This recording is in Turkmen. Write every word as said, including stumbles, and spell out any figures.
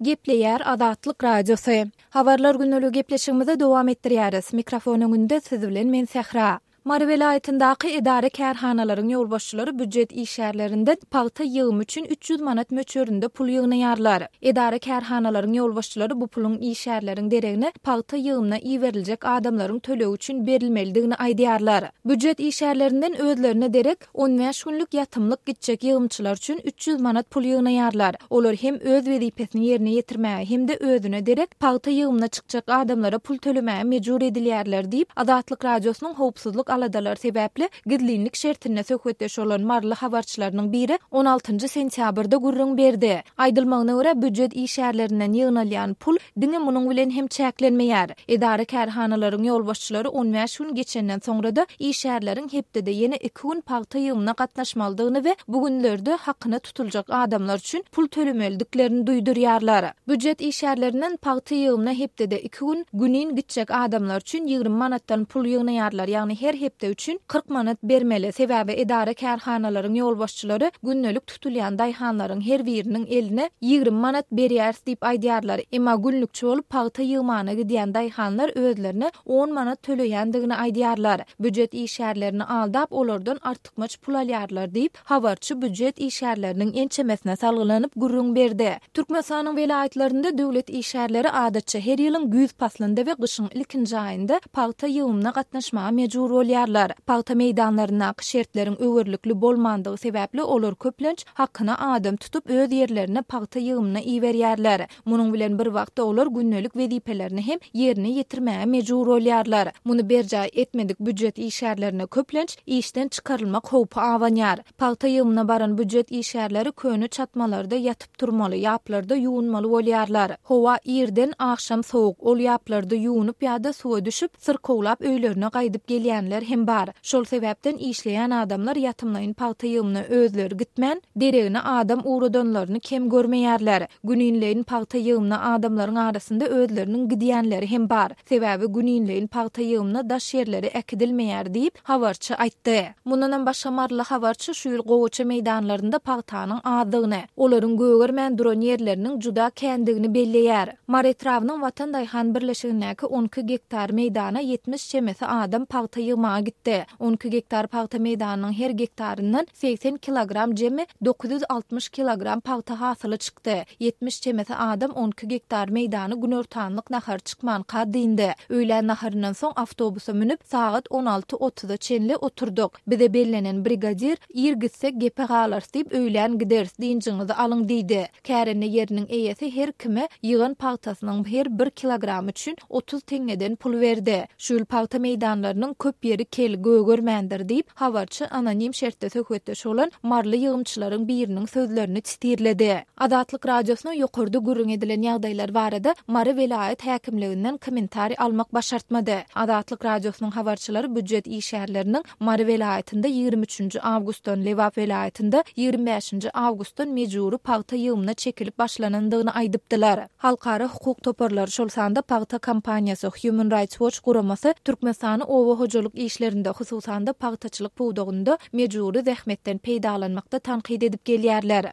Gepleýär Azatlyk Radiosy. Habarlar gündeligi gepleşigimizi dowam etdirýäris. Mikrofon öňünde siz bilen men Sähra. Mary welaýatyndaky edara-kärhanalaryň ýolbaşçylary býujet işgärlerinden pagta ýygymy üçin üç ýüz manat möçberinde pul ýygnaýarlar. Edara-kärhanalaryň ýolbaşçylary bu puluň işgärleriň deregine pagta ýygymyna iberiljek adamlaryň tölegi üçin berilmelidigini aýdýarlar. Býujet işgärlerinden özlerine derek on bäş günlük ýatymlyk gitjek ýygymçylar üçin üç ýüz manat pul ýygnaýarlar. Olar hem öz wezipesini ýerine ýetirmäge hem-de özüne derek pagta ýygymyna çykjak adamlara pul tölemäge mejbur edilýärler diýip, Azatlyk Radiosynyň howpsuzlyk aladalary sebäpli gizlinlik şertinde söhbetdeş bolan maryly habarçylarynyň biri on altynjy sentýabrda gürrüň berdi. Aýdylmagyna görä, býujet işgärlerinden ýygnalýan pul diňe munuň bilen hem çäklenmeýär. Edara-kärhanalaryň ýolbaşçylary on bäş gün geçenden soňra-da işgärleriň hepdede ýene iki gün pagta ýygymyna gatnaşmalydygyny we bu günlerde hakyna tutuljak adamlar üçin pul tölemelidiklerini duýdurýarlar. Býujet işgärlerinden pagta ýygymyna hepdede iki gün günin gitjek adamlar üçin ýigrimi manatdan pul ýygnaýarlar, ýagny her hepde üçin kyrk manat bermeli. Sebäbi edara-kärhanalaryň ýolbaşçylary gündelik tutulýan daýhanlaryň her biriniň eline ýigrimi manat berýäris diýip aýdýarlar. Emma günlükçi bolup pagta ýygmana gidýän daýhanlar özlerine on manat töleýändigini aýdýarlar. Býujet işgärlerini aldap, olardan artykmaç pul alýarlar diýip, habarçy býujet işgärleriniň ençemesine salgylanyp gürrüň berdi. Türkmenistanyň welaýatlarynda döwlet işgärleri adatça her ýylyň güýz paslynda we gyşyň ilkinji aýynda pagta ýygymyna gatnaşmaga mejbur bolýarlar. Pagta meýdanlaryndaky şertleriň öwerlikli bolmandygy sebäpli olar köplenç hakyna adam tutup öz ýerlerine pagta ýygymyna iberýärler. Munuň bilen bir wagtda olar gündelik wezipelerini hem ýerine ýetirmäge mejbur bolýarlar. Muny berjaý etmedik býujet işgärlerine köplenç işden çykarylmak howpy abanýar. Pagta ýygymyna baran býujet işgärleri köne çatmalarda ýatyp turmaly, ýaplarda ýuwunmaly bolýarlar. Howa irden agşam sowuk, ol ýaplarda ýuwunyp ýa-da suwa düşüp, syrkawlap öýlerine gaýdyp gelýänler hem bar. Şol sebäpden işleýän adamlar ýatymlaýyn pagta ýygymyna özleri gitmän, deregine adam ugradanlaryny kem görmeýärler. Güninleýin pagta ýygymyna adamlaryň arasynda özleriniň gidýänleri hem bar. Sebäbi güninleýin pagta ýygymyna daş ýerleri äkidilmeýär diýip, habarçy aýtdy. Mundanam başga maryly habarçy şu ýyl gowaça meýdanlarynda pagtanyň azdygyny, olaryň gögermän duran ýerleriniň juda kändigini belleýär. Mary etrabynyň Watan daýhan birleşigindäki on iki gektar meýdana ýetmiş çemesi adam pagta ýygmaga gitdi. On iki gektar pagta meýdanynyň her gektaryndan segsen kilogram jemi dokuz ýüz altmyş kilogram pagta hasyly çykdy. Ýetmiş çemesi adam on iki gektar meýdany günortanlyk nahary çykmanka dyndy. Öýlän naharyndan soň awtobusa münüp sagat on alty otuza çenli oturdyk. Bize bellenen brigadir ir gitsek gepe galarys diýip öýlän gideris, dynjyňyzy alyň diýdi. Kärende ýeriniň eýesi her kime ýygan pagtasynyň her bir kilogramy üçin otuz teňňeden pul berdi. Şu ýyl pagta meýdanlarynyň köp ýeri kel gögermändir diýip, habarçy anonim şertde söhbetdeş bolan maryly ýygymçylaryň biriniň sözlerini titirledi. Azatlyk Radiosyna ýokarda gürrüň edilen ýagdaýlar barada Mary welaýat häkimliginden kommentariý almak başartmady. Azatlyk Radiosynyň habarçylary býujet işgärleriniň Mary welaýatynda ýigrimi üçünji awgustdan, Lebap welaýatynda ýigrimi bäşinji awgustdan mejbury pagta ýygymyna çekilip başlanandygyny aýdypdylar. Halkara hukuk toparlary, şol sanda pagta kompaniýasy, Human Rights Watch guramasy Türkmenistany oba hojalyk işlerinde, hususan-da pagtaçylyk pudagynda mejbury zähmetden peýdalanmakda tankyt edip gelýärler.